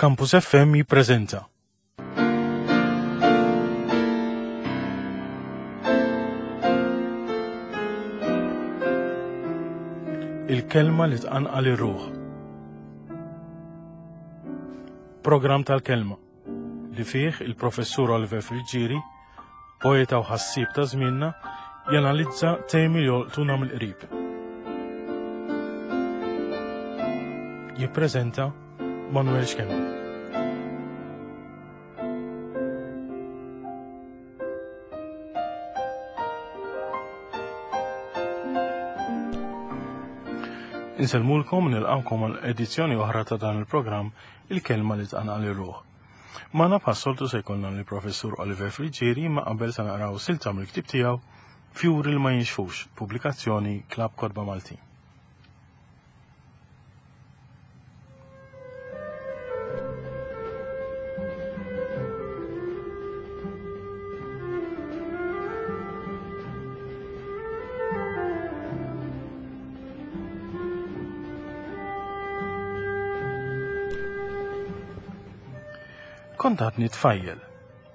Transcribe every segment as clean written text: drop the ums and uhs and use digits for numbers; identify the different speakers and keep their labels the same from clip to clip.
Speaker 1: Campus FM jippreżenta. Il-kelma li tqanqal ir-ruħ. Programm tal-kelma li fih il-professur Oliver Friggieri, poeta u ħassieb ta' żmienna, janalizza temi li jolqtuna mill-qrib. Jippreżenta Manuel Schembri. Insellmulkom nilqawkom għal edizzjoni oħra ta' dan il-programm Il-kelma li tqanqal ir-ruħ. Magħna bħas-soltu se jkollna lill-Professur Oliver Friggieri imma qabel se naqraw silta mill-ktieb tiegħu Fjuri li ma jinxfux, pubblikazzjoni Klabb Kotba Maltin. Kont għadni tfajjel.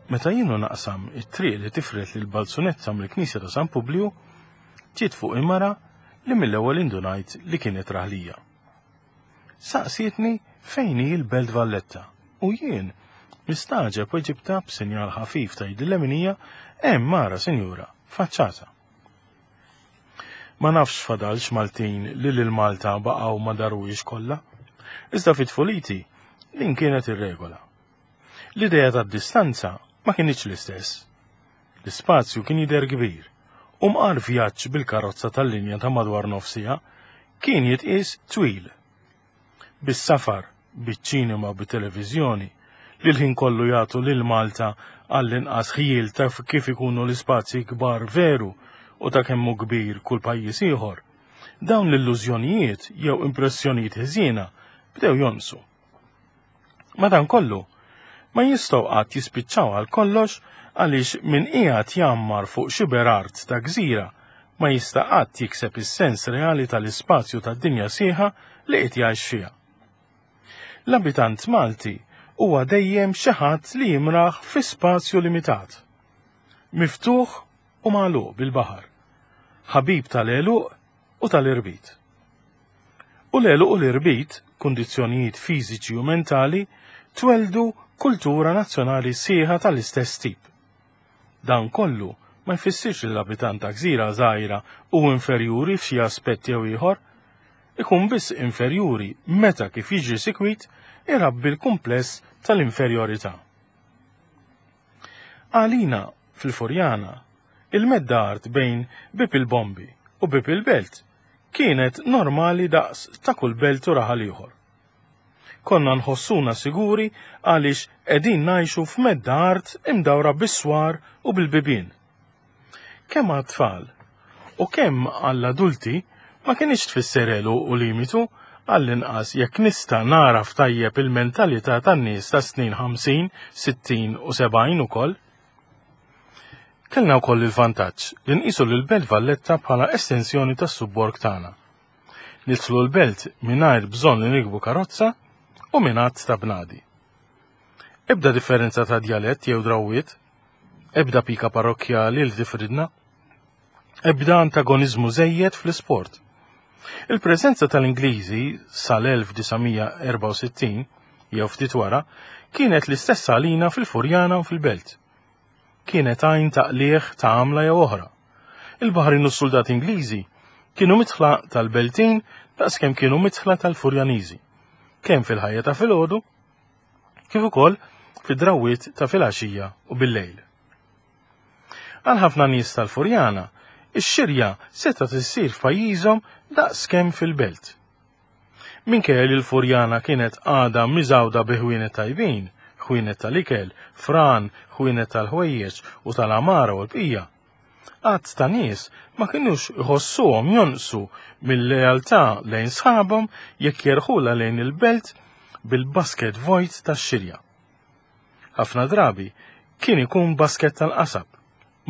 Speaker 1: Meta jienu naqsam it-triq li tifret lil Balzunetta mill-Knisja ta' San Publiju, ġiet fuq mara li mill-ewwel indunajt li kienet raħlija. Saqsietni fejn hi l-Belt Valletta u jien mistagħġeb weġibtha b'sinjal ħafif ta' idi l-leminija hemm mara sinjura, faċċata. Ma nafx fadalx Maltin li lil Malta baqgħu ma daruhiex kollha. Iżda fi tfuliti din kienet ir-regola. L-idea tad-distanza ma kinitx l-istess. L-ispazju kien jidher kbir u mqar vjaġġ bil-karozza tal-linja ta' madwar nofs siegħa kien jitqies twil. Bis-safar, biċ-ċinema u bit-televiżjoni li l-ħin kollu jagħtu lil Malta għall-inqas ħjiel ta' kif ikunu l-ispazji kbar veru u ta' kemm hu kbir kull pajjiż ieħor, dawn l-illużjonijiet jew impressjonijiet ħżiena bdew jonqsu. Madankollu, ma jistgħu qatt jispiċċaw għal kollox għaliex min qiegħed jgħammar fuq xiber art ta' gżira ma jista' qatt jikseb is-sens reali tal-ispazju tad-dinja sħiħa li qed jgħix fiha. L-abitant Malti huwa dejjem xi ħadd li jimraħ fi spazju limitat, miftuħ u magħluq bil-baħar, ħabib tal-għeluq u tal-irbit. U l-għeluq u l-irbit, kundizzjonijiet fiżiċi u mentali, twelldu kultura nazzjonali sħiħa tal-istess tip. Dan kollu ma jfissirx li l-abitant ta' gżira żgħira hu inferjuri f'xi aspett jew ieħor. Ikun biss inferjuri meta kif jiġri sikwit irabbi l-kumpless tal-inferjorità. Għalina fil-Furjana, il-medda art bejn Bieb il-Bombi u Bieb il-Belt kienet normali daqs ta' kull belt u raħal ieħor. Konna nħossuna siguri għaliex qegħdin ngħixu f'medda art imdawra bis-swar u bil-bibien. Kemm għat-tfal u kemm għall-adulti ma kinitx tfisser għeluq u limitu, għall-inqas jekk nista' nagħraf tajjeb il-mentalità tan-nies tas-snin 50, 60 u 70 ukoll. Kellna wkoll il-vantaġġ li nqisu lil Belt Valletta bħala estensjoni tas-subborg tagħna. Nidħlu l-belt mingħajr bżonn li nirkbu karozza u minn għadd ta' bnadi. Ebda differenza ta' djalett jew drawwiet, ebda pika parrokkjali li tifridna, ebda antagoniżmu żejjed fl-isport. Il-preżenza tal-Ingliżi sal-1964 jew ftit wara kienet l-istess għalina fil-Furjana u fil-Belt. Kienet għajn ta' qligħ ta' għamla jew oħra. Il-Baħrin u s-suldati Ingliżi kienu midħla tal-Beltin daqskemm kienu midħla tal-Furjaniżi, kemm fil-ħajja ta' filgħodu kif ukoll fid-drawwiet ta' filgħaxija u bil-lejl. Għal ħafna nies tal-Furjana, ix-xirja setgħet issir f'pajjiżhom daqskemm fil-belt. Minkejja li l-Furjana kienet għadha miżgħuda bi ħwienet tajbin, ħwienet tal-ikel, fran, ħwienet tal-ħwejjeġ u tal-għamara u l-bqija, għadd ta' nies ma kinux iħossuhom jonqsu mill-lealtà lejn sħabhom jekk jerħulha lejn il-belt bil-basket vojt tax-xirja. Ħafna drabi kien ikun basket tal-qasab,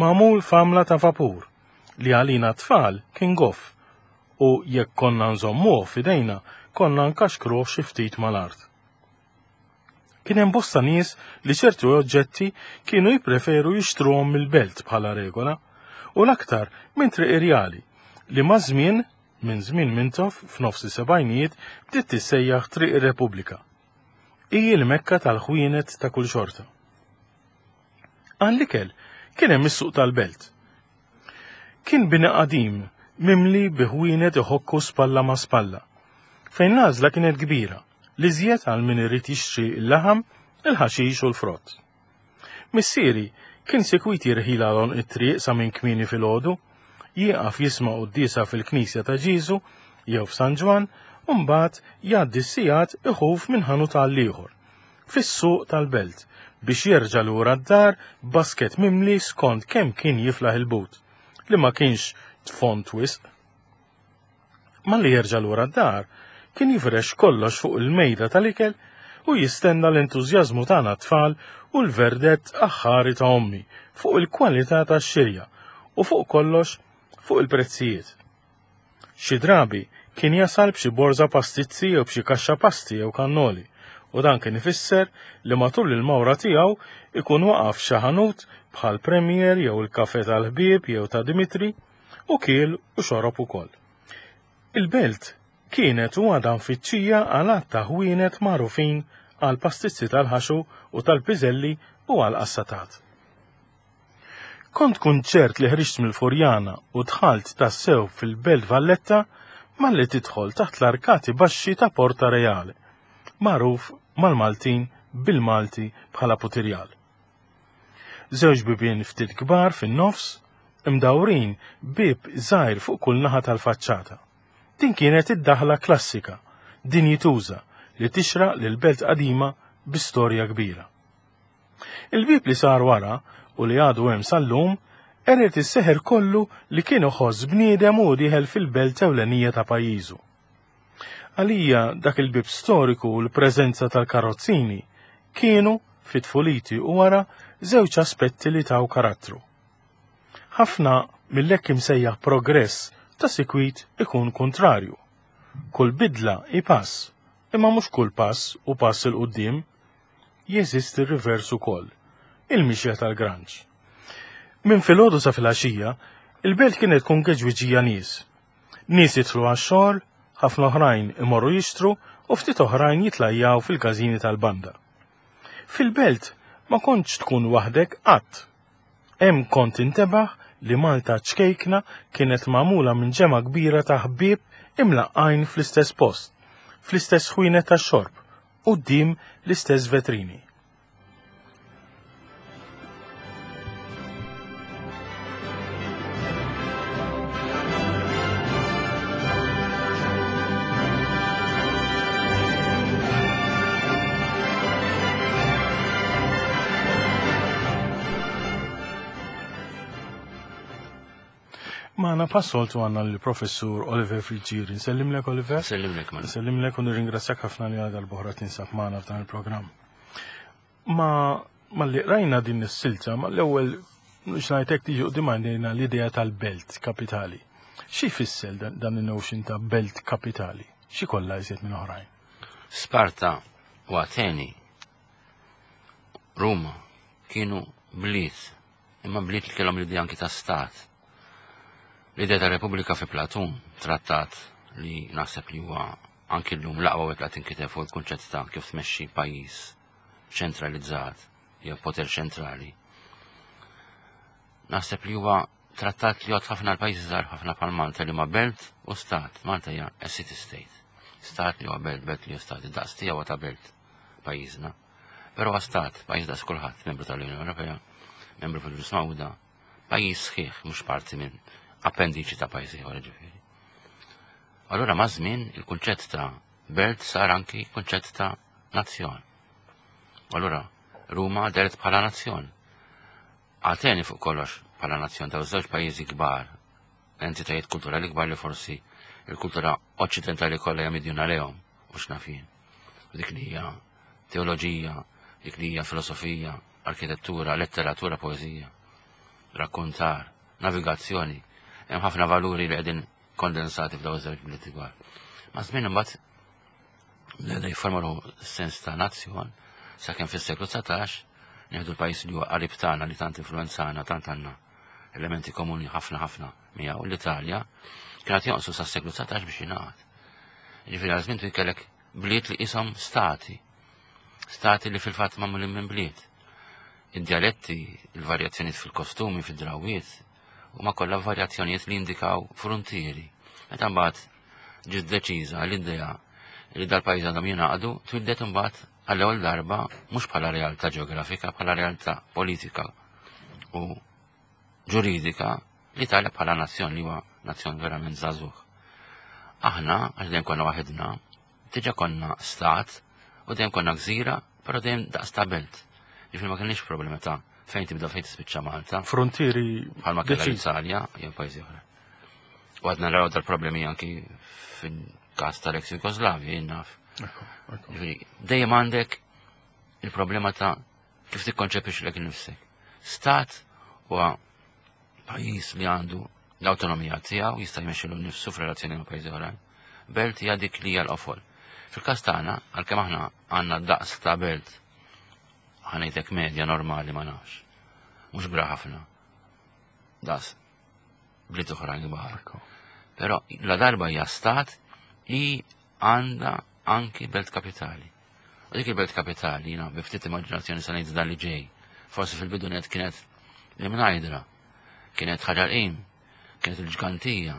Speaker 1: magħmul f'għamla ta' vapur, li għalina t-tfal kien goff u jekk konna nżommuh f'idejna konna nkaxkruh xi ftit mal-art. Kien hemm bosta nies li ċertu oġġetti kienu jippreferu jixtruhom mill-belt bħala regola, u l-aktar minn Triq Irjali, li maż-żmien, minn żmien Mintoff f'nofs is-sebgħinijiet bdiet tissejjaħ Triq ir-Repubblika. Hi l-mekka tal-ħwienet ta' kull xorta. Għall-ikel kien hemm is-suq tal-belt. Kien bini qadim mimli bi ħwienet iħokku spalla ma' spalla, fejn l-għażla kienet kbira, l-iżjed għal min irid jixtri l-laħam, il-ħaxix u l-frott. Missieri kien sikwit jirħilha għal għonq it-triq sa minn kmieni filgħodu, jieqaf jisma' quddiesa fil-knisja ta' Ġieżu jew f'San Ġwann u mbagħad jgħaddi s-sigħat iħuf minn ħanut għal ieħor, fis-suq tal-belt, biex jerġa' lura d-dar b'basket mimli skont kemm kien jiflaħ il-but, li ma kienx tfond wisq. Malli jerġa' lura d-dar, kien jifrex kollox fuq il-mejda tal-ikel u jistenna l-entużjażmu tagħna t-tfal u l-verdett aħħari ta' ommi fuq il-kwalità tax-xirja u fuq kollox fuq il-prezzijiet. Xi drabi kien jasal b'xi borża pastizzi jew b'xi kaxxa pasti jew kannoli u dan kien ifisser li matul il-mawra tiegħu ikun waqaf f'xi ħanut bħal Premier jew il-Kafè tal-Ħbieb jew ta' Dimitri u kiel u xorob ukoll. Il-belt kienet u għadha mfittxija għal għadd ta' ħwienet magħrufin għall-pastizzi tal-ħaxu u tal-piżelli u għall-qassatat. Kont tkun ċert li ħriġt mill-Furjana u dħalt tassew fil-Belt Valletta malli tidħol taħt l-arkati baxxi ta' Porta Reale, magħruf mal-Maltin bil-Malti bħala Putirjal. Żewġ bibien ftit kbar fin-nofs, imdawrin bieb żgħir fuq kull naħa tal-faċċata. Din kienet id-daħla klassika, dinjituża, li tixraq lil belt qadima bi storja kbira. Il-bieb li sar wara, u li għadu hemm sal-lum, qered is-seħer kollu li kien iħoss bniedem u dieħel fil-belt ewlenija ta' pajjiżu. Għalija dak il-bieb storiku u l-preżenza tal-karozzini kienu, fi tfuliti u wara, żewġ aspetti li taw karattru. Ħafna mill-hekk imsejjaħ progress ta' sikwit ikun kuntrarju. Kull bidla hi pass, imma mhux kull pass hu pass 'il quddiem. Jeżisti r-rivers ukoll, il-mixja tal-granċ. Minn filgħodu sa filgħaxija, il-belt kienet tkun geġwiġija nies. Nies jidħlu għax-xogħol, ħafna oħrajn imorru jixtru u ftit oħrajn jitlajjaw fil-każini tal-banda. Fil-belt ma kontx tkun waħdek qatt. Hemm kont tintebaħ li Malta ċkejkna kienet magħmula minn ġemgħa kbira ta' ħbieb imlaqqgħin fl-istess post, fl-istess ħwienet tax-xorb, quddiem l-istess vetrini. Magħna passoltu għandna l-professur Oliver Friggieri. Nsellimlek Oliver.
Speaker 2: Nsellimlek man.
Speaker 1: Nsellimlek u nirringrazzjak ħafna li għal dal-boħra tinsab magħna f'dan il-programm. Ma malli rajna din is-silta, ma l-ewwel xnajtek tiġi qudiem għandina l-idea tal-belt kapitali. Xi jfisser dan il-notion ta' belt kapitali? Xi kollha iżjed minn oħrajn?
Speaker 2: Sparta u Ateni, Ruma, kienu bliet, imma bliet li kellhom l-idea anki ta' stat. L-idea ta' Repubblika fi Platun, trattat li naħseb li huwa anki llum l-aqwa wieħed li tinkiteb fuq il-kunċett ta' kif tmexxi pajjiż ċentralizzat jew poter ċentrali. Naħseb li huwa trattat li jgħod ħafna l-pajjiżi żgħar ħafna bħal Malta li ma belt u stat. Malta hija a city state. Stat li huwa belt, belt li huwa stat. Id-daqs tiegħu ta' belt pajjiżna. Però huwa stat, pajjiż daqs kulħadd, membru tal-Unjoni Ewropea, membru fil-Ġnus Magħquda, pajjiż sħiħ, mhux parti minn appendiċi ta' pajjiż ieħor ġifieri. Allura maż-żmien il-kunċett ta' belt sar anki kunċett ta' nazzjon. Allura Ruma deret bħala nazzjon. Ateni fuq kollox bħala nazzjon ta' żewġ pajjiżi kbar, entitajiet kulturali kbar li forsi il-kultura oċċidentali kollha hija midjuna lejhom u x'naf jien. Dik li hija teoloġija, dik li hija filosofija, arkitettura, letteratura, poeżija, rakkontar, navigazzjoni. Hemm ħafna valuri li qegħdin kondensati f'dawn iż-żewġ bliet kbar. Ma' żmien imbagħad li jifformalu sens ta' nazzjon, Sakemm fis-seklu 19 nieħdu l-pajjiż li huwa qarib tagħna li tant influenzana, tant għandna elementi komuni ħafna ħafna miegħu l-Italja, kienet jonqsu sas-seklu 19 biex jingħaqad. Ġifieri għal żmien kellek bliet li qishom stati. Stati li fil-fatt magħmulin minn bliet. Id-djaletti, il-varjazzjonijiet fil-kostumi, fid-drawiet, huma kollha varjazzjonijiet li jindikaw fruntieri. Meta mbagħad ġiet deċiża l-idea li dal-pajjiż għandhom jingħaqdu, twildet imbagħad għall-ewwel darba mhux bħala realtà ġeografika, bħala realtà politika u ġuridika l-Italja bħala nazzjon li huwa nazzjon verament żagħżugħ. Aħna, għax dejjem konna waħedna, diġà konna stat u dejjem konna gżira, però dejjem daqs ta' belt. Ġifieri ma kienx problema ta' fejn tibda fejn tispiċċa Malta.
Speaker 1: Frontieri
Speaker 2: bħalma kellha l-Italja jew pajjiżi oħra. U għadna naraw dal-problemi anki fil-każ tal-ex Jugoslavja, jien naf. Ġifieri dejjem għandek il-problema ta' kif tikkonċepixxi lek innifsek. Stat huwa pajjiż li għandu l-awtonomija tiegħu jista' jmexxilu nnifsu f'relazzjoni ma' pajjiżi oħrajn. Belt hija dik li hija l-qofol. Fil-każ tagħna, għalkemm aħna għandna daqs ta' belt ħanejtek medja normali ma nafx. Mhux bra ħafna. Daqs bliet oħrajn kbar. Però la darba hija stat li għandha anki belt kapitali. U dik il-belt kapitali, jina bi ftit immaġinazzjoni sa ngħid dan li ġej. Forsi fil-bidu net kienet l-Imnajdra, kienet Ħaġar Qim, kienet il-Ġgantija.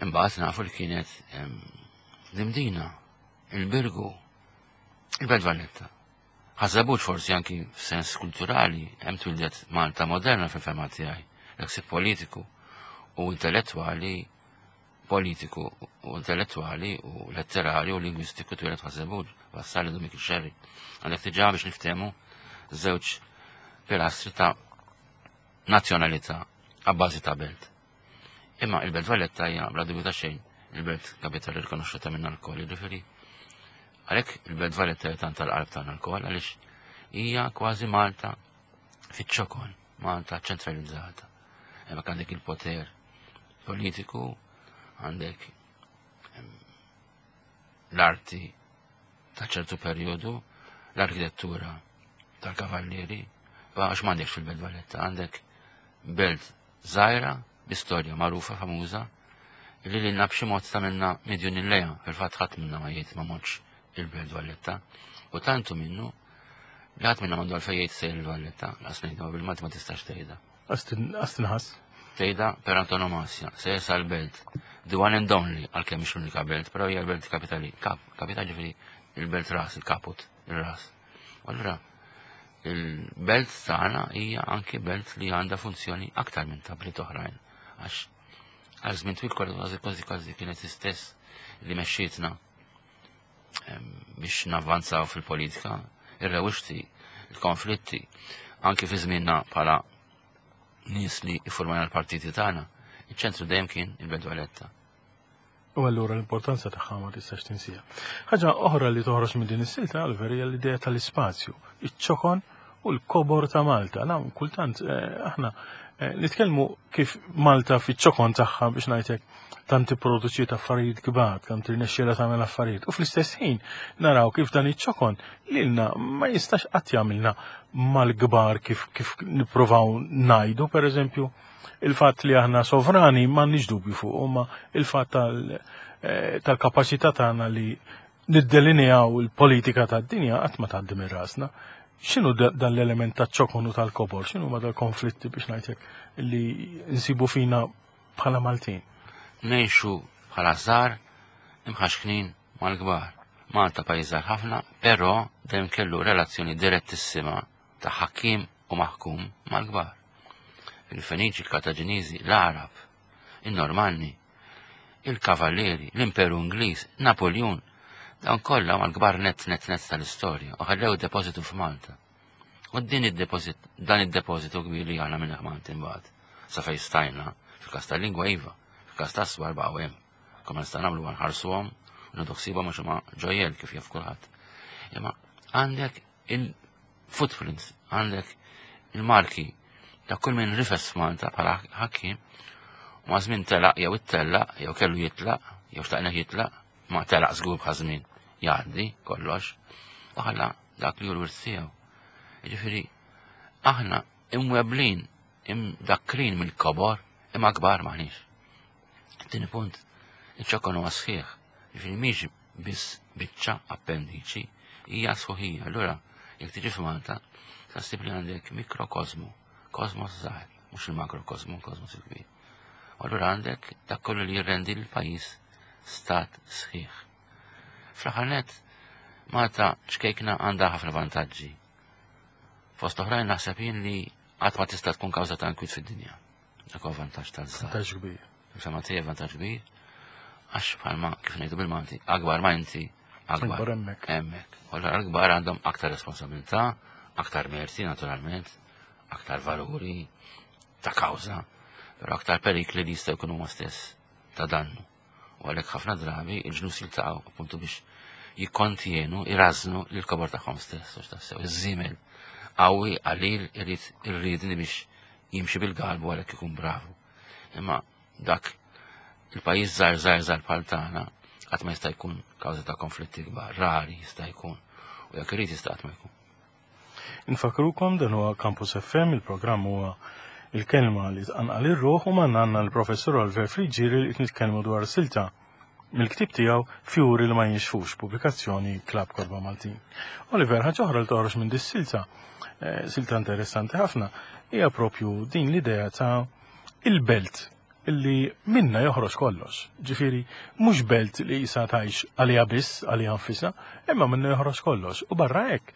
Speaker 2: Imbagħad nafu li kienet l-Imdina, il-Birgu, il-Belt Valletta. Ħażebut forsi anki f'sens kulturali hemm twildet Malta moderna fil-fema tiegħi, l-ħsieb politiku u intellettwali politiku u intellettwali u letterali u lingwistiku twieled Ħaż-Żebbuġ, Vassalli Dumik Xerri. Għandek diġà biex niftehmu żewġ pilastri ta' nazzjonalità għabbażi ta' belt. Imma il-Belt Valletta hija bla dubju ta' xejn il-belt kapitali rikonoxxuta minna lkoll, jiġifieri għalhekk il-Belt Valletta hija tant tal-qalb tagħna lkoll għaliex hija kważi Malta fiċ-ċokon, Malta ċentralizzata. Hemmhekk għandek il-poter politiku, għandek l-arti ta' ċertu perjodu, l-arkitettura tal-kavallieri, għax m'għandekx fil-Belt Valletta, għandek belt żgħira bi storja magħrufa famuża li lilna b'xi mod tagħmilna midjunin lejha, fil-fatt ħadd minna ma jgħid ma mortx il-Belt Valletta. U tantu minnu li ħadd minna m'għandu għalfejn jgħid sejjer il-Valletta, laqas ngħidha bil-Malti ma tistax tgħidha.
Speaker 1: Għas tinħass.
Speaker 2: Tgħidha per antonomasja, sejjer sal-belt. The one and only, għalkemm mhix l-unika belt, però hija l-belt kapitali. Kap, kapitali ġifieri il-belt ras, il-kaput, il-ras. U allura il-belt tagħna hija anki belt li għandha funzjoni aktar minn ta' bliet oħrajn. Għax għal żmien twil kważi kważi kważi kienet istess li mexxietna biex navvanzaw fil-politika, ir-rewixti, il-konflitti, anki fi żmienna bħala nies li iffurmajna l-partiti tagħna, iċ-ċentru dejjem kien il-Belt Valletta.
Speaker 1: U allura l-importanza tagħha ma tistax tinsija. Ħaġa oħra li toħroġ minn din is-silta għal hija l-idea tal-ispazju, iċ-ċokon u l-kobor ta' Malta. Na, kultant eh, aħna eh, nitkellmu kif Malta fiċ-ċokon tagħha biex ngħidlek tant tipproduċiet affarijiet kbar, tant tirnexxielha tagħmel affarijiet. U fl-istess ħin naraw kif dan iċ-ċokon lilna ma jistax qatt jagħmilna mal-kbar kif kif nippruvaw ngħidu, pereżempju, il-fatt li aħna sovrani m'għandniex dubju fuq, ma il-fatt eh, tal-kapaċità tagħna li niddelineaw il-politika tad-dinja qatt ma tgħaddi minn rasna. X'inhu dan l-element taċ-ċokon u tal-kobor, x'inhu ma dal-konflitti biex ngħidlek li nsibu fina bħala Maltin?
Speaker 2: Ngħixu bħala żgħar imħaxknin mal-kbar. Malta pajjiż żgħar ħafna, però dejjem kellu relazzjoni direttissima ta' ħakkiem u maħkum mal-kbar. Il-Feniċi, il-Kartaġiniżi, l-Għarab, in-Normanni, il-Kavallieri, l-Imperu Ingliż, Napoljun, dawn kollha huma l-kbar nett nett nett tal-istorja u ħallew depożitu f'Malta. U din id-depożit, dan id-depożitu kbir li aħna minn Malti imbagħad, sa fejn stajna, fil-każ tal-lingwa iva, fil-każ tas-swar baqgħu hemm. Kemm nista' nagħmlu nħarsuhom u nieħdu ħsiebhom għax huma ġojjel kif jaf kulħadd. Imma għandek il-footprints, għandek il-marki ta' kull min rifes f'Malta bħala ħakkim u ma' żmien telaq jew ittellaq jew kellu jitlaq jew xtaqna jitlaq ma telaq żgur bħal żmien jgħaddi kollox. U ħalla dak li hu l-wirt tiegħu. Jiġifieri aħna imweblin, imdakkrin mill-kobor, imma kbar maħniex. Tieni punt, iċ-ċokon huwa sħiħ, jiġifieri mhix biss biċċa appendiċi, hija sħuħija. Allura, jekk tiġi f'Malta, sa ssib li għandek mikrokosmu, kosmos żgħir, mhux il-makrokosmu, kosmos il-kbir. U allura għandek dak kollu li jirrendi l-pajjiż stat sħiħ. Fl-aħħar nett, Malta ċkejkna għandha ħafna vantaġġi. Fost oħrajn naħseb jien li qatt ma tista' tkun kawża ta' nkwiet fid-dinja. Dak huwa vantaġġ tal-żgħar.
Speaker 1: Vantaġġ kbir.
Speaker 2: Insomma tiegħi vantaġġ kbir għax bħalma kif ngħidu bil-Malti, akbar ma inti,
Speaker 1: akbar hemmhekk.
Speaker 2: Hemmhekk. U allura l-kbar għandhom aktar responsabilità, aktar merti naturalment, aktar valuri ta' kawża, però aktar perikli li jistgħu jkunu huma stess ta' dannu. U għalhekk ħafna drabi il-ġnus jiltaqgħu appuntu biex jikkontjenu, irażnu lil kobor tagħhom stess, għax tassew iż-żiemel qawwi qalil irid irridni biex jimxi bil-galbu għalhekk ikun bravu. Imma dak il-pajjiż żgħar żgħar żgħar bħal tagħna qatt ma jista' jkun kawża ta' konflitti kbar, rari jista' jkun. U jekk irid jista' qatt ma jkun.
Speaker 1: Infakrukom dan huwa Campus FM, il-programm huwa il-kelma li tqanqal ir-ruħ u magħna għandna l-Professur Oliver Friggieri li qed nitkellmu dwar silta mill-ktieb tiegħu Fjuri li ma jinxfux, pubblikazzjoni Klabb Kotba Maltin. Oliver, ħaġa oħra li toħroġ minn dis-silta, eh, silta interessanti ħafna, hija propju din l-idea ta' il-belt illi minna joħroġ kollox. Ġifieri, mhux belt li jisa tgħix għaliha biss, għaliha nfisha, imma minna joħroġ kollox. U barra hekk,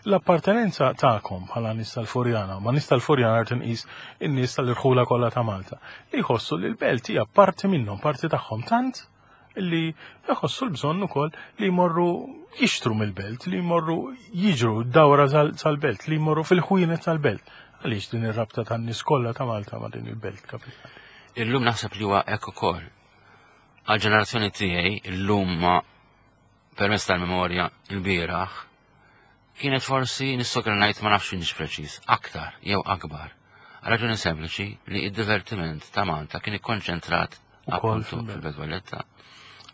Speaker 1: l-appartenenza tagħkom bħala nies tal-Furjana, ma nies tal-Furjana rrid inqis in-nies tal-irħula kollha ta' Malta, li jħossu li l-belt hija parti minnhom, parti tagħhom tant li jħossu l-bżonn ukoll li jmorru jixtru mill-belt, li jmorru jiġru dawra tal-belt, li jmorru fil-ħwienet tal-belt. Għaliex din ir-rabta tan-nies kollha ta' Malta ma' din il-belt kapitali?
Speaker 2: Illum naħseb li huwa hekk ukoll. Għal-ġenerazzjoni tiegħi illum ma permezz tal-memorja il-bieraħ kienet forsi nissokra ngħid ma nafx inix preċiż, aktar jew akbar. Għal raġuni sempliċi li id-divertiment ta' Malta kien ikkonċentrat appuntu fil-Belt Valletta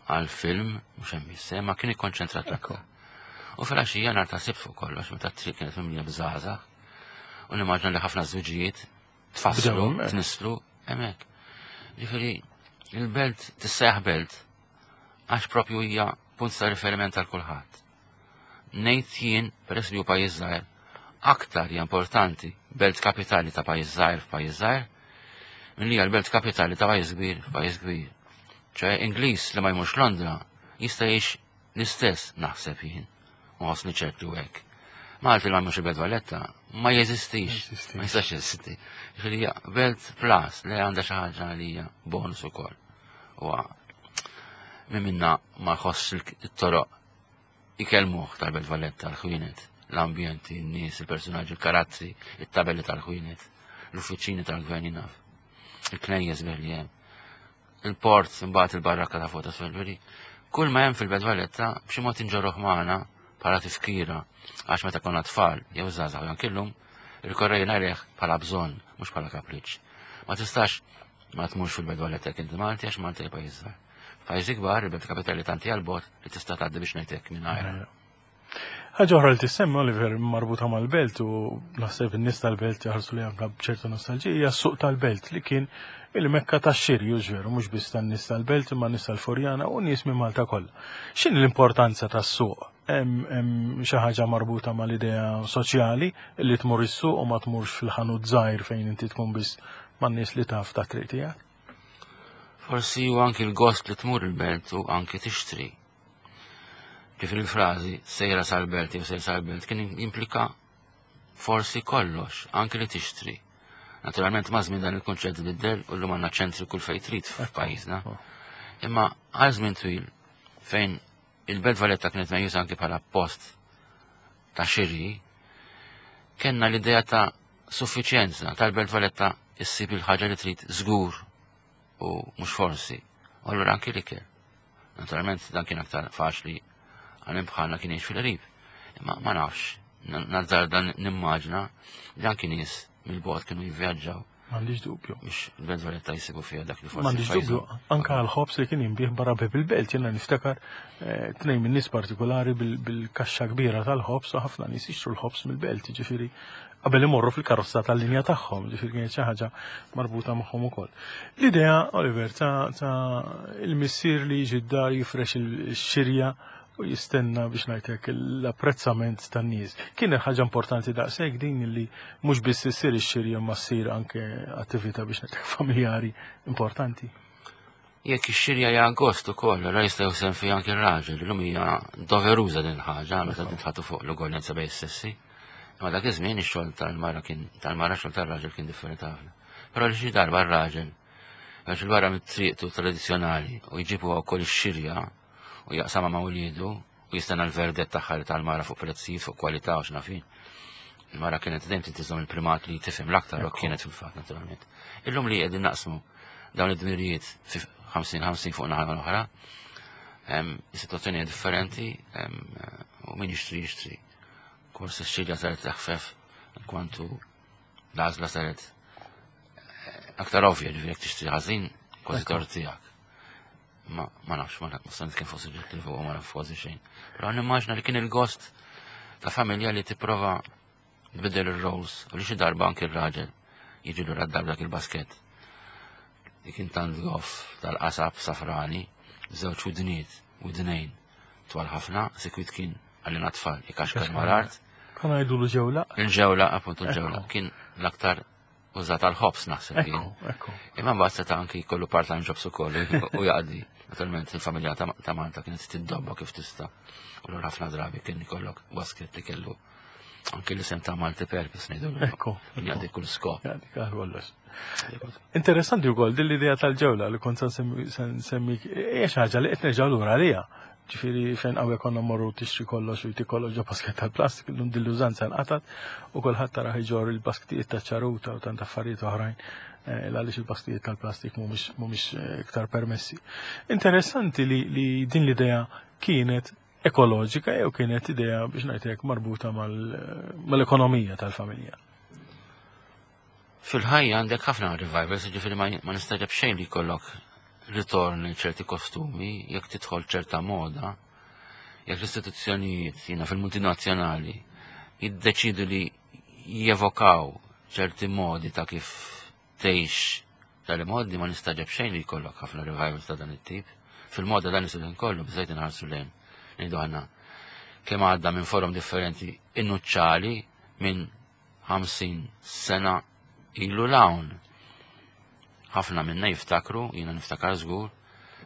Speaker 2: għal film mhux hemm biss, ma kien ikkonċentrat aktar. U fil-għaxija nhar ta' sibt fuq kollox meta t-triq kienet mimlija bżgħażagħ u nimmaġna li ħafna żwiġijiet tfasslu, tnisslu hemmhekk. Ġifieri il-belt tissejjaħ belt għax propju hija punt ta' riferiment għal kulħadd. Ngħid jien, peress li hu pajjiż żgħir, aktar hija importanti belt kapitali ta' pajjiż żgħir f'pajjiż żgħir milli hija l-belt kapitali ta' pajjiż kbir f'pajjiż kbir. ċe Ingliż li ma jmurx Londra jista' jgħix l-istess naħseb jien, u ħossni ċertu hekk. Malti li ma jmurx il-Belt Valletta ma jeżistix, ma jistax jeżisti. Ġifieri hija belt plus li għandha xi ħaġa li hija bonus ukoll. U min minna ma jħoss it-toroq ikellmuh tal-Belt Valletta, l-ħwienet, l-ambjenti, n-nies, il-personaġġi, il-karazzi, it-tabelli tal-ħwienet, l-uffiċini tal-gvern jinaf, il-knejjes bih li hemm, il-port, imbagħad il-barrakka ta' fuq ta' Svelveri. Kull ma hemm fil-Belt Valletta b'xi mod inġorruh magħna bħala tifkira għax meta konna tfal jew żgħażagħ jew anke llum irkorrejna għalih bħala bżonn mhux bħala kapriċċ. Ma tistax ma tmurx fil-Belt Valletta jekk inti Malti għax Malta hija pajjiż żgħir. F'pajjiżi kbar, il-belt kapitali tant hija l-bogħod li tista' tgħaddi biex ngħid hekk mingħajrha.
Speaker 1: Ħaġa oħra li tissemmi Oliver marbuta mal-belt u naħseb in-nies tal-belt jaħarsu li anke b'ċerta nostalġija hija s-suq tal-belt li kien il-mekka tax-xiri u veru mhux biss tan-nies tal-belt imma nies tal-Furjana u nies minn Malta kollha. X'inhi l-importanza tas-suq? Hemm xi ħaġa marbuta mal-idea soċjali li tmur is-suq u ma tmurx fil-ħanut żgħir fejn inti tkun biss man-nies li taf ta' triq tiegħek?
Speaker 2: Forsi hu anki l-gost li tmur il-belt u anki tixtri. Kif il-frażi sejra sal-belt jew sejra sal-belt kien jimplika forsi kollox, anki li tixtri. Naturalment ma' żmien dan il-kunċett biddel u llum għandna ċentri kull fejn trid f'pajjiżna. Imma għal żmien twil fejn il-Belt Valletta kienet meqjusa anki bħala post ta' xiri, kellna l-idea ta' suffiċjenza tal-Belt Valletta issib il-ħaġa li trid żgur u mhux forsi. U allura anki l-ikel. Naturalment dan kien aktar faċli għal bħalna kien jgħix fil-qrib. Imma ma nafx, nazzar dan nimmaġna li anki nies mill-bogħod kienu jivvjaġġaw.
Speaker 1: M'għandix dubju.
Speaker 2: Biex il-Belt Valletta jsibu fiha dak li forsi.
Speaker 1: M'għandix dubju, anka għal-ħobs li kien jinbih barra bib il-belt, jiena niftakar eh, tnejn minn nies partikolari bil-kaxxa kbira tal-ħobs u ħafna nies jixtru l-ħobs mill-belt, ġifieri qabel imorru fil-karozza tal-linja tagħhom, ġifieri kienet xi ħaġa marbuta magħhom ukoll. L-idea, Oliver, ta' il-missier li jiġi d-dar jifrex il-xirja u jistenna biex ngħidlek l-apprezzament tan-nies. Kienet ħaġa importanti daqshekk din li mhux biss issir ix-xirja ma ssir anke attività biex ngħidlek familjari importanti.
Speaker 2: Jekk ix-xirja hija gost ukoll, ra jista' jħossem fiha anke r-raġel, illum hija doveruża din il-ħaġa meta titħatu fuq l-ugwaljanza bejn is-sessi. Imma dak iż-żmien ix-xogħol tal-mara kien tal-mara xogħol tar-raġel kien differenti ħafna. Però li xi darba r-raġel għax il-barra mit-triqtu tradizzjonali u jġibu wkoll ix-xirja u jaqsamha ma' uliedu u jistenna l-verdett tagħha li tal-mara fuq prezzijiet, fuq kwalità u x'naf jien. Il-mara kienet dejjem titiżhom il-primat li tifhem l-aktar u kienet fil-fatt naturalment. Illum li qegħdin naqsmu dawn id-dmirijiet fi 50-50 fuq naħa l-oħra, is-sitwazzjoni hija differenti u min jixtri jixtri. Kors ix-xirja saret teħfef kwantu l-għażla saret eh, aktar ovvja ġifieri jekk tixtri ħażin kważi tort tiegħek. Ma ma nafx, ma nafx, ma kien fuq suġġett li fuq ma naf kważi xejn. Però nimmaġna li kien il-gost ta' familja li tipprova tbiddel ir-roles u li xi darba anki r-raġel jiġi lura d-dar dak il-basket. Li kien tant goff tal-qasab safrani, żewġ widniet, widnejn twal ħafna, sikwit kien għalina tfal, ikaxkar mal-art.
Speaker 1: Kan għajdu l-ġewla?
Speaker 2: Il-ġewla, appuntu l-ġewla. Kien l-aktar użat għal ħobs naħseb jien. Imma mbagħad seta' anki jkollu part-time jobs ukoll u jaqdi. Naturalment il-familja ta' Malta kienet tiddobba kif tista' u l ħafna drabi kien ikollok basket li kellu anki l-isem ta' Malti Purpose ngħidu.
Speaker 1: Ekku.
Speaker 2: Jaqdi kull skop.
Speaker 1: Jaqdi kollox. Interessanti wkoll din l-idea tal-ġewla li kont nsemmi hija xi ħaġa li qed nerġgħu lura għaliha. Ġifieri fejn qawwi konna mmorru tixtri kollox u jtik kollox ġo basket tal-plastik, illum din l-użanza nqatgħet u kulħadd taraħ iġorr il-basktijiet ta' ċaruta u tant affarijiet oħrajn eh, għaliex il-basktijiet tal-plastik mhumiex eh, iktar permessi. Interessanti li, li din l-idea kienet ekoloġika jew kienet idea biex ngħidlek marbuta mal-ekonomija tal-familja.
Speaker 2: Fil-ħajja għandek ħafna revivals, ġifieri ma nistaġeb xejn li jkollok ritorn lil ċerti kostumi, jekk tidħol ċerta moda, jekk l-istituzzjonijiet jiena fil-multinazzjonali jiddeċidu li jevokaw ċerti modi ta' kif tgħix tal-modi ma nistaġeb xejn li jkollok ħafna revivals ta' dan it-tip. Fil-moda dan isir kollu biżejt inħarsu lejn. Ngħidu aħna kemm għadda minn forom differenti innuċċali minn 50 sena ilu 'l hawn. Ħafna minna jiftakru, jiena niftakar żgur,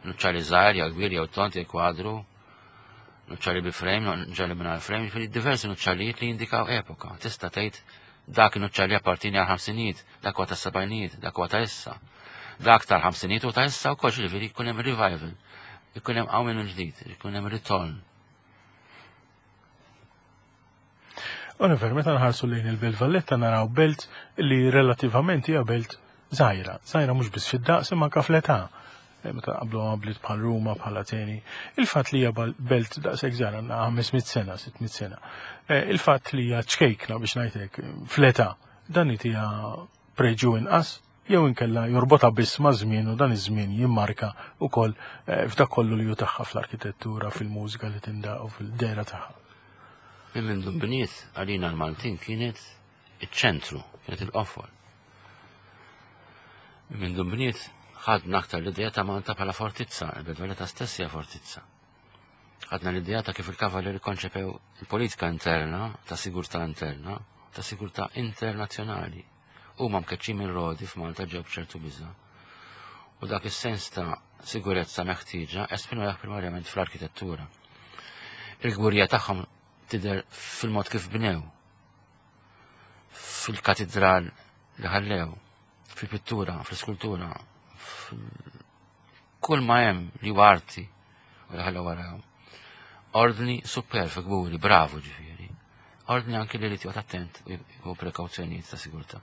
Speaker 2: nuċċali żgħir jew kbir jew tond jew kwadru, nuċċali bi frame, nuċċali mingħajr frame, jiġifieri diversi nuċċalijiet li jindikaw epoka. Tista' tgħid dak nuċċali appartieni għal ħamsinijiet, dak huwa tas-sebgħinijiet, dak huwa ta' issa. Dak tal-ħamsinijiet u ta' issa wkoll jiġifieri jkun hemm revival, ikun hemm qawmien mill-ġdid, ikun hemm ritorn.
Speaker 1: Oliver, meta nħarsu lejn il-Belt Valletta naraw belt li relattivament hija belt żgħira, żgħira mhux biss fid-daqs imma anke fl-età. Eh, meta qablu ma' bliet bħal Ruma, bħal Ateni. Il-fatt li hija belt daqshekk żgħira għandna 500 sena, 600 sena. Eh, il-fatt li hija ċkejkna biex ngħidlek fl-età, dan itija preġju inqas jew inkella jorbotha biss maż-żmien u dan iż-żmien jimmarka wkoll eh, f'dak kollu li hu tagħha fl-arkitettura, fil-mużika li tindaq u fil-dehra tagħha.
Speaker 2: Minn mindu nbniet għalina l-Maltin kienet iċ-ċentru, kienet il-qofol. Minn mindu nbniet ħadna aktar l-idea ta' Malta bħala fortizza, il-Belt Valletta stess hija fortizza. Ħadna l-idea ta' kif il-Kavaleri konċepew il-politika interna, ta' sigurtà interna, ta' sigurtà internazzjonali. Huma mkeċċin minn Rodi f'Malta ġew b'ċertu biża'. U dak is-sens ta' sigurezza meħtieġa esprimewh primarjament fl-arkitettura. Il-kburija tagħhom tidher fil-mod kif bnew, fil-katidral li ħallew, fil-pittura, fl-iskultura, kull ma hemm li huwa arti u li ħallew warahom. Ordni superf, kburi, bravu ġifieri. Ordni anki li jrid attent u prekawzjonijiet ta' sigurtà.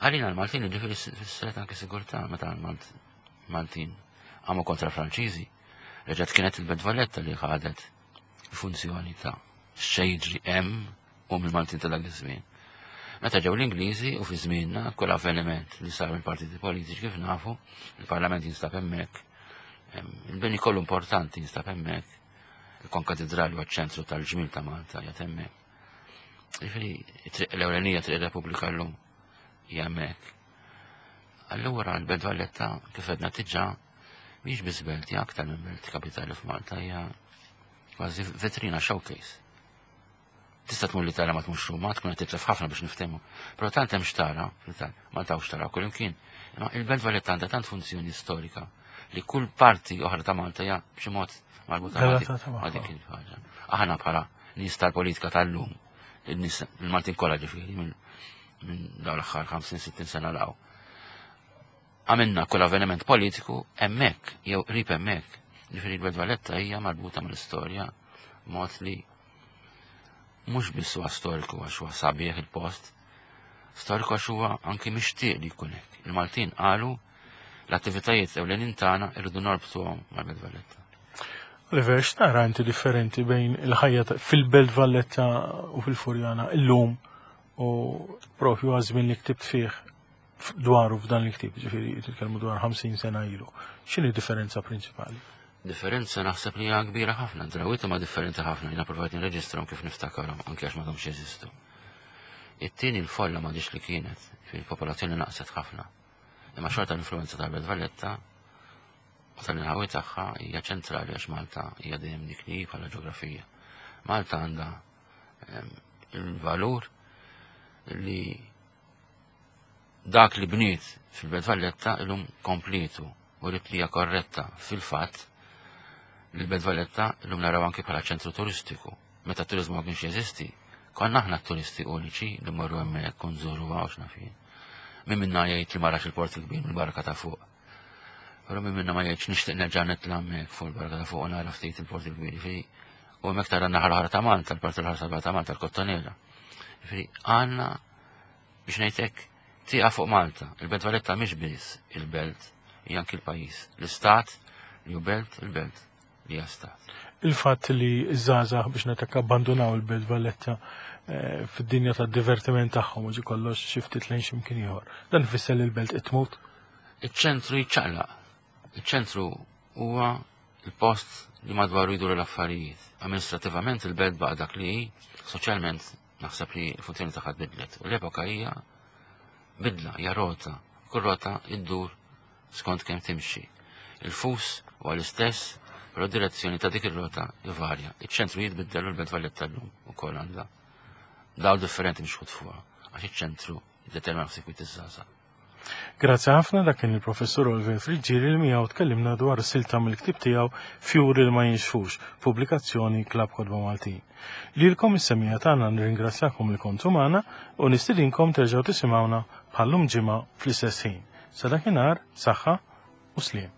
Speaker 2: Għalina l-Maltin ġifieri fissret anki sigurtà meta l-Maltin għamu kontra Franċiżi. Reġgħet kienet il-Belt Valletta li ħadet funzjoni ta' xejġri hemm u mill-Maltin ta' dak iż-żmien. Meta ġew l-Ingliżi u fi żmienna kull avveniment li sar mill-partiti politiċi kif nafu, il-Parlament jinstab hemmhekk, il-bini kollu importanti jinstab hemmhekk, il-Konkatedrali huwa ċ-ċentru tal-ġmil ta' Malta qiegħed hemmhekk. Jiġifieri it-triq l-ewlenija triq ir-Repubblika llum hija hemmhekk. Allura l-Belt Valletta kif għedna diġà mhix biss belt, hija aktar minn belt kapitali f'Malta, hija kważi vetrina showcase. Tista' tmur l-Italja ma tmurx Ruma, tkun qed titlef ħafna biex niftehmu. Però tant hemm xtara, Malta hawn xtara kull imkien. Imma il-Belt Valletta għandha tant funzjoni storika li kull parti oħra ta' Malta hija b'xi mod marbuta ma' dik il-ħaġa. Aħna bħala nies tal-politika tal-lum, il-nies il-Maltin kollha ġifieri minn dawn l-aħħar 50-60 sena law. Għamilna kull avveniment politiku hemmhekk jew qrib hemmhekk. Ġifieri l-Belt Valletta hija marbuta mal-istorja mod li mhux biss huwa storiku għax huwa sabiħ il-post, storiku għax huwa anki mixtieq li jkun hekk. Il-Maltin qalu l-attivitajiet ewlenin tagħna irridu norbtuhom mal-Belt Valletta.
Speaker 1: Oliver, x'tara inti differenti bejn il-ħajja fil-Belt Valletta u fil-Furjana illum u propju għaż-żmien li ktibt fih dwaru f'dan il-ktieb, ġifieri titkellmu dwar 50 sena ilu. X'inhi differenza prinċipali?
Speaker 2: Differenza naħseb li hija kbira ħafna, drawiet huma differenti ħafna, jiena provajt nirreġistrahom kif niftakarhom anke għax m'għadhomx jeżistu. It-tieni l-folla m'għadix li kienet, fil-popolazzjoni naqset ħafna. Imma xorta l-influenza tal-Belt Valletta u tal-inħawi tagħha hija ċentrali għax Malta hija dejjem dik li bħala ġeografija. Malta għandha ehm, il-valur li Dak li bniet fil-Belt Valletta illum komplietu u rit li hija korretta fil-fatt li l-Belt Valletta illum naraw anki bħala ċentru turistiku. Meta t-turiżmu ma kienx jeżisti, konna aħna t-turisti uniċi li mmorru hemmhekk u nżuruha u x'naf jien. Min minna jgħid li ma rax il-Port il-Kbir mill-barka ta' fuq. Però min minna ma jgħidx nixtieq nerġa' nitla' hemmhekk fuq il-barka ta' fuq u nara ftit il-Port il-Kbir. Jiġifieri, u hemmhekk tara n-naħa l-oħra ta' Malta, l-parti l-oħra ta' Malta, l-Kottonera. Jiġifieri għandna Biex ngħid hekk, tieqa fuq Malta. Il-Belt Valletta mhix biss il-belt, hija anki l-pajjiż. L-istat li hu belt, il-belt li hija stat.
Speaker 1: Il-fatt li ż-żgħażagħ biex ngħid abbandunaw il-Belt Valletta eh, fid-dinja tad-divertiment tagħhom u ġi kollox xi ftit lejn x'imkien ieħor. Dan ifisser li l-belt qed tmut?
Speaker 2: Iċ-ċentru jiċċaqlaq. Iċ-ċentru huwa il-post li madwaru jduru l-affarijiet. Amministrativament il-belt baqa' dak li hi, soċjalment Naħseb li l-funzjoni tagħha tbiddlet u l-epoka hija bidla, hija rota. Kull rota iddur skont kemm timxi. Il-fus huwa l-istess, però direzzjoni ta' dik ir-rota ivarja. Iċ-ċentru jitbiddel u l-Belt Valletta llum ukoll għandha dawl differenti mxħut fuqha għax iċ-ċentru jiddetermina f'sikwit iż-żgħażagħ.
Speaker 1: Grazzi ħafna dak kien il-Professur Oliver Friggieri li miegħu tkellimna dwar silta mill-ktieb tiegħu Fjuri li ma jinxfux, pubblikazzjoni Klabb Kotba Maltin. Lilkom is-semmiegħa tagħna nirringrazzjakom li kontu magħna u nistidinkom terġgħu tisimgħuna bħal-lum ġimgħa fl-istess ħin. Sa dakinhar, saħħa u sliem.